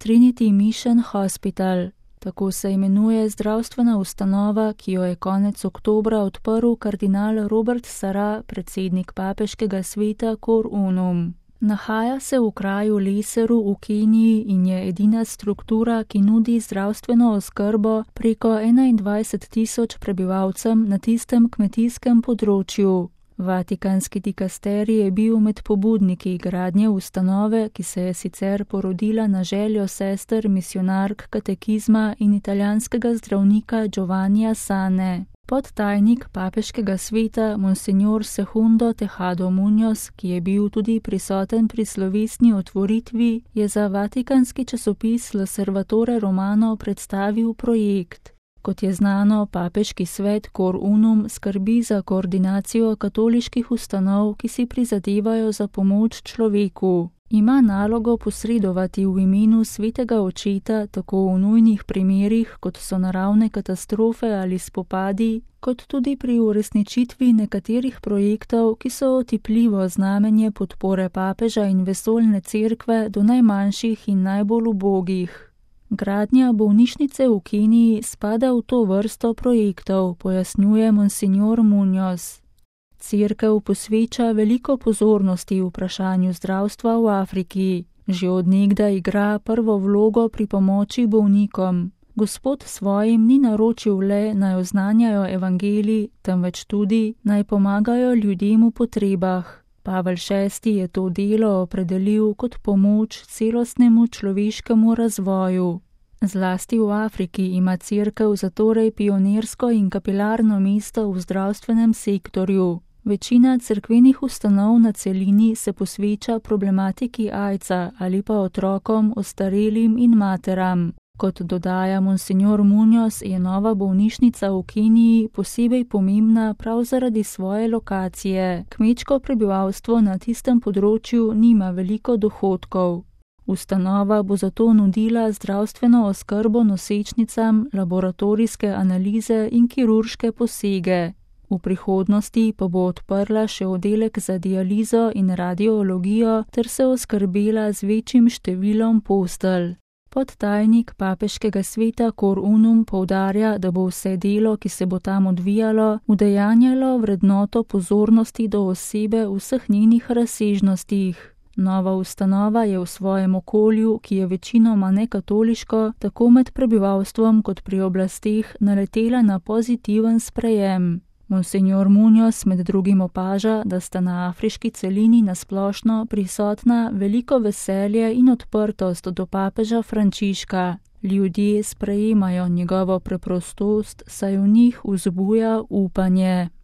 Trinity Mission Hospital. Tako se imenuje zdravstvena ustanova, ki jo je konec oktobra odprl kardinal Robert Sarah, predsednik papeškega sveta Cor Unum. Nahaja se v kraju Leseru v Keniji in je edina struktura, ki nudi zdravstveno oskrbo preko 21.000 prebivalcem na tistem kmetijskem področju. Vatikanski dikasterij je bil med pobudniki gradnje ustanove, ki se je sicer porodila na željo sester misionark katekizma in italijanskega zdravnika Giovannija Sane. Podtajnik papeškega sveta Monsignor Segundo Tejado Muñoz, ki je bil tudi prisoten pri slovesni otvoritvi, je za vatikanski časopis L'Osservatore Romano predstavil projekt. Kot je znano, papeški svet Cor Unum skrbi za koordinacijo katoliških ustanov, ki si prizadevajo za pomoč človeku. Ima nalogo posredovati v imenu svetega očeta tako v nujnih primerih, kot so naravne katastrofe ali spopadi, kot tudi pri uresničitvi nekaterih projektov, ki so otipljivo znamenje podpore papeža in vesoljne cerkve do najmanjših in najbolj ubogih. Gradnja bolnišnice v Keniji spada v to vrsto projektov, pojasnjuje Monsignor Muñoz. Cerkev posveča veliko pozornosti vprašanju zdravstva v Afriki. Že od nekdaj igra prvo vlogo pri pomoči bolnikom. Gospod svojim ni naročil le, naj oznanjajo evangelij, temveč tudi, naj pomagajo ljudem v potrebah. Pavel VI je to delo opredelil kot pomoč celostnemu človeškemu razvoju. Zlasti v Afriki ima cerkev zatorej pionirsko in kapilarno mesto v zdravstvenem sektorju. Večina cerkvenih ustanov na celini se posveča problematiki AIDS-a ali pa otrokom, ostarelim in materam. Kot dodaja Monsignor Muñoz, je nova bolnišnica v Keniji posebej pomembna prav zaradi svoje lokacije. Kmečko prebivalstvo na tistem področju nima veliko dohodkov. Ustanova bo zato nudila zdravstveno oskrbo nosečnicam, laboratorijske analize in kirurške posege. V prihodnosti pa bo odprla še oddelek za dializo in radiologijo ter se oskrbela z večjim številom postelj. Podtajnik papeškega sveta Cor Unum poudarja, da bo vse delo, ki se bo tam odvijalo, udejanjalo vrednoto pozornosti do osebe v vseh njenih razsežnostih. Nova ustanova je v svojem okolju, ki je večinoma nekatoliško, tako med prebivalstvom kot pri oblasteh naletela na pozitiven sprejem. Monsignor Muñoz med drugim opaža, da sta na afriški celini nasplošno prisotna veliko veselje in odprtost do papeža Frančiška. Ljudje sprejemajo njegovo preprostost, saj v njih vzbuja upanje.